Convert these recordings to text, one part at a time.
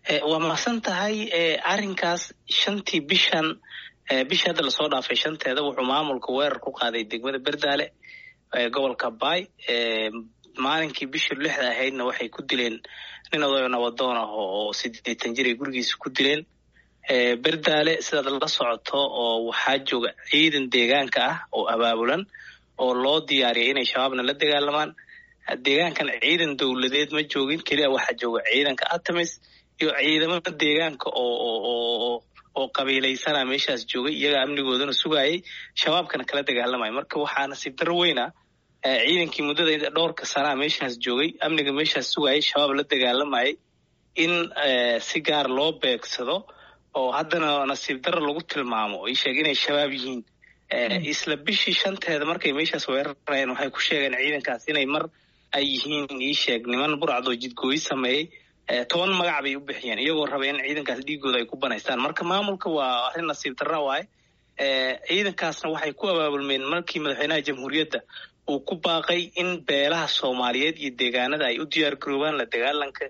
Waa mahadsan tahay. Arrinkaas 5tii bishan, bishii hadda lasoo dhaafay 5teeda, wuxuu maamulka weerar ku qaaday degmada Berdaale gobolka Baay. Maalinkii bishii 6da ahaydna waxay ku dileen nin odayo nabadoon ah oo 80 jir ay gurigiisa ku dileen Berdaale. Sidaad la socoto oo waxaa jooga ciidan deegaanka ah oo abaabulan oo loo diyaariyay inay shabaabna la dagaalamaan. Deegaankan ciidan dowladeed ma joogin, keliya waxaa jooga ciidanka Atamis iyo ciidamada deegaanka oo qabiilaysana meeshaas joogay, iyagaa amnigoodana sugaayay, shabaabkana kala dagaalamaya. Marka waxaa nasiib darro weyn ah ciidankii muddada dhowrka sanaa meeshaas joogay, amniga meeshaas sugaayay, shabaab la dagaalamayay, in si gaar loo beegsado oo haddana nasiib darro lagu tilmaamo oo sheeg inay shabaab yihiin. Isla bishii 5teeda markay meeshaas weerarayeen, waxay ku sheegeen ciidankaas inay mar ay yihiin iisheeg niman burcadoo jidgooyi sameeyey. 10 magac bay u bixiyeen, iyagoo raba in ciidankaas dhiigooda ay ku banaystaan. Marka maamulka waa arrin nasiib darra waaye. Ciidankaasna waxay ku abaabulmeen markii madaxweynaha jamhuuriyadda uu ku baaqay in beelaha Soomaaliyeed iyo deegaanada ay u diyaar garoobaan la dagaalanka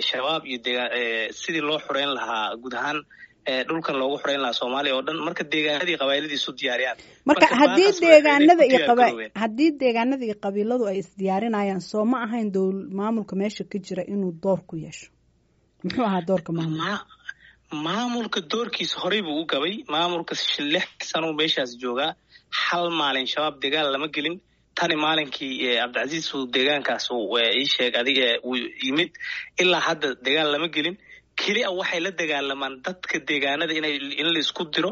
shabaab iyo sidii loo xoreyn lahaa guud ahaan dhulkan loogu xoreyn lahaa Soomaaliya oo dhan. Marka deegaanadii qabaailadiisu isu diyaariyaan. Marka haddii deegaanada iyo haddii deegaanada iyo qabiiladu ay isdiyaarinayaan, soo ma ahayn dowl maamulka meesha ka jira inuu door ku yeesho? Muxuu ahaa doorka maamulka? Maamulka doorkiisa horey buu u gabay. Maamulka 6 sano meeshaas joogaa, hal maalin shabaab dagaal lama gelin. Tani maalinkii Cabdicasiis uu deegaankaas ii sheeg adiga uu yimid ilaa hadda dagaal lama gelin. Keliya waxay la dagaalamaan dadka deegaanada inay in la isku diro,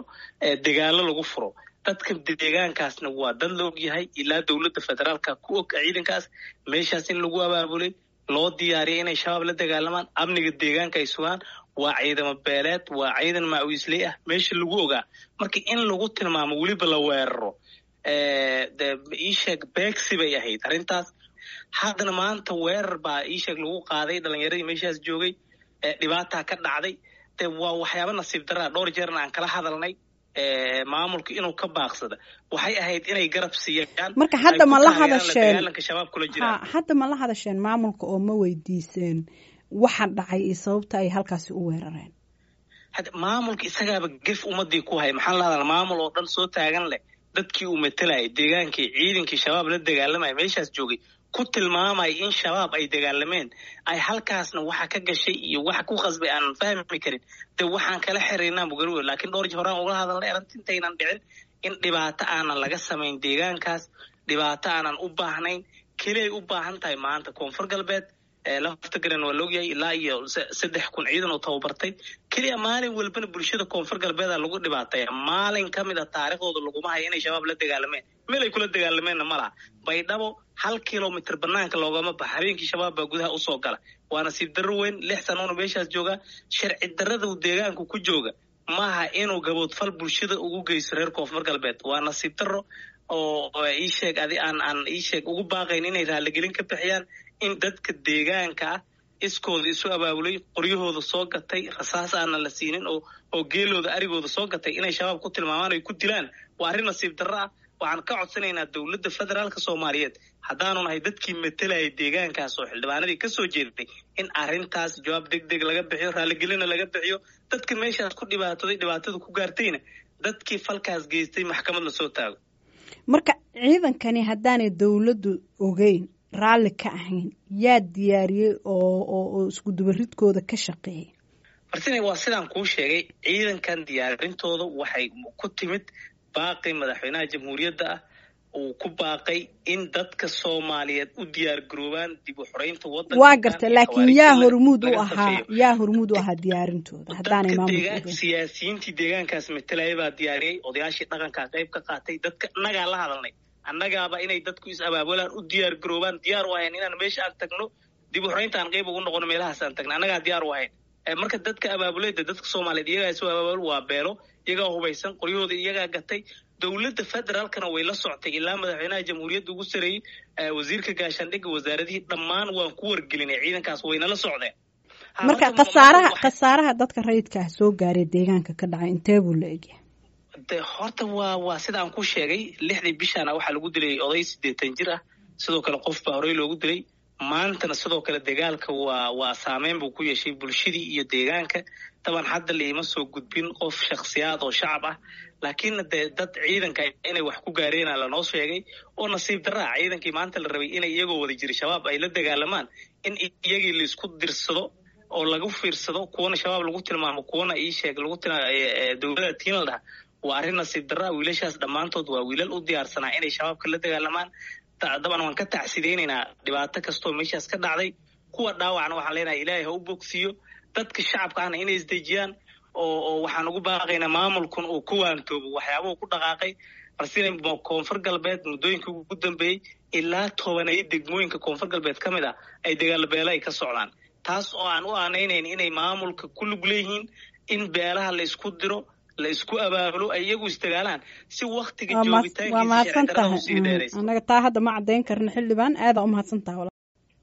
dagaalo lagu furo. Dadka deegaankaasna waa dad la og yahay, ilaa dowladda federaalka ku og ciidankaas meeshaas in lagu abaabulay, loo diyaariyay inay shabaab la dagaalamaan, amniga deegaanka ay sugaan. Waa ciidamo beeleed, waa ciidan maawiisley ah meesha lagu ogaa. Marka in lagu tilmaamo, weliba la weeraro, iisheeg beegsi bay ahayd arrintaas. Haddana maanta weerar baa iisheeg lagu qaaday dhalinyaradii meeshaas joogay, dhibaataa ka dhacday. De waa waxyaaba nasiib daraa. Dhowr jeerna aan kala hadalnay maamulka inuu ka baaqsada, waxay ahayd inay garab siiyaan. Marka hadda ma la hadasheen dagaalanka shabaab kula jiraan? Hadda ma la hadasheen maamulka oo ma weydiiseen waxa dhacay iyo sababta ay halkaasi u weerareen? Hadda maamulka isagaaba gef ummadii ku hay. Maxaan la hadalna maamul oo dhan soo taagan leh dadkii uu matalayay deegaankii, ciidankii shabaab la dagaalamaya meeshaas joogay ku tilmaamaya in shabaab ay dagaalameen, ay halkaasna waxa ka gashay iyo waxa ku khasbay aanan fahmi karin. De waxaan kala xiriirnaa mugarwe, laakiin dhowr jeer horaan uga hadalnay arrinta intaynan dhicin in dhibaato aanan laga samayn deegaankaas, dhibaato aanan u baahnayn. Keliyay u baahan tahay maanta Koonfur Galbeed lafta garan waa laogyahay, ilaa iyo 3000 ciidan oo tababartay. Keliya maalin walbana bulshada Koonfur Galbeeda lagu dhibaataya. Maalin ka mid a taariikhdooda laguma hayo inay shabaab la dagaalameen, meel ay kula dagaalameenna ma laha. Baydhabo 1 kilomitr banaanka loogama baxa, habeenkii shabaab baa gudaha usoo gala. Waa nasiib darro weyn. 6 sanoona meeshaas joogaa, sharci darrada uu deegaanku ku jooga maaha inuu gaboodfal bulshada ugu geysto reer Koonfur Galbeed. Waa nasiib darro oo ii sheeg adi aan ii sheeg ugu baaqayn inay raaligelin ka bixiyaan in dadka deegaanka ah iskooda isu abaabulay, qoryahooda soo gatay, rasaas aanan la siinin, oo geelooda arigooda soo gatay, inay shabaab ku tilmaamaan ay ku dilaan waa arrin nasiib darro ah. Waxaan ka codsanaynaa dowladda federaalka Soomaaliyeed, haddaanu nahay dadkii matalayay deegaankaas oo xildhibaanadii ka soo jeeday, in arrintaas jawaab deg deg laga bixiyo, raaligelina laga bixiyo dadka meeshaas ku dhibaatooday, dhibaatada ku gaartayna dadkii falkaas geystay maxkamad lasoo taago. Marka ciidankani haddaanay dowladdu ogeyn, raalli ka ahayn, yaa diyaariyey oo isku dubaridkooda ka shaqeeyay? Martina, waa sidaan kuu sheegay, ciidankan diyaarintooda waxay ku timid baaqi madaxweynaha jamhuuriyadda ah uu ku baaqay in dadka Soomaaliyeed u diyaar garoobaan dib u xoreynta waddanka. Waa gartay, laakiin yaa hormuud u ahaa, yaa hormuud u ahaa diyaarintooda haddaanay maamulka? Siyaasiyiintii deegaankaas matalayay baa diyaariyey, odayaashii dhaqankaa qayb ka qaatay, dadka annagaa la hadalnay, annagaaba inay dadku is abaabulaan, u diyaar garoobaan diyaar u ahayn inaan meesha aan tagno, dib u xoreynta aan qayb ugu noqono, meelahaas aan tagno annagaa diyaar u ahayn. Marka dadka abaabuleyda dadka Soomaaliyeed iyagaa isu abaabul, waa beelo, iyagaa hubaysan, qoryahooda iyagaa gatay. Dowladda federaalkana way la soctay, ilaa madaxweynaha jamhuuriyadda ugu sareeyey, wasiirka gaashaandhigga, wasaaradihii dhammaan waan ku wargelinay ciidankaas, wayna la socdeen. Marka khasaaraha dadka rayidka ah soo gaaray deegaanka ka dhacay intee buu la egyahay? De horta waa sida aan ku sheegay, 6dii bishaana waxaa lagu dilay oday 80 jir ah. Sidoo kale qof baa horey loogu dilay. Maantana sidoo kale dagaalka waa saameyn buu ku yeeshay bulshadii iyo deegaanka. Taban hadda laiima soo gudbin qof shakhsiyaad oo shacab ah, laakiinna dee dad ciidanka inay wax ku gaareena lanoo sheegay oo nasiib darraa ciidankii maanta la rabay inay iyagoo wada jira shabaab ay la dagaalamaan, in iyagii laisku dirsado oo lagu fiirsado, kuwana shabaab lagu tilmaamo, kuwana ii sheeg lagu dowlada tiin la dhaha, waa arrin nasiib darraa. Wiilashaas dhammaantood waa wiilal u diyaarsanaa inay shabaabka la dagaalamaan. Daban waan ka tacsidaynaynaa dhibaato kastoo meeshaas ka dhacday. Kuwa dhaawacna waxaan leenahay ilaahay ha u bogsiiyo. Dadka shacabka ahna inay isdejiyaan oo waxaan ugu baaqaynaa maamulkun uu ku waantoobo waxyaabuhu ku dhaqaaqay. Balse Koonfur Galbeed muddooyinkii ugu dambeeyey ilaa 10 degmooyinka Koonfur Galbeed ka mid ah ay dagaalabeelo ay ka socdaan, taas oo aan u aanaynayn inay maamulka ku lug leeyihiin in beelaha la isku diro, la isku abaabulo, ay iyagu isdagaalaan si waktiga Waa mahadsan tahay. Annaga taa hadda ma caddayn karno. Xildhibaan, aadaa u mahadsan tahay.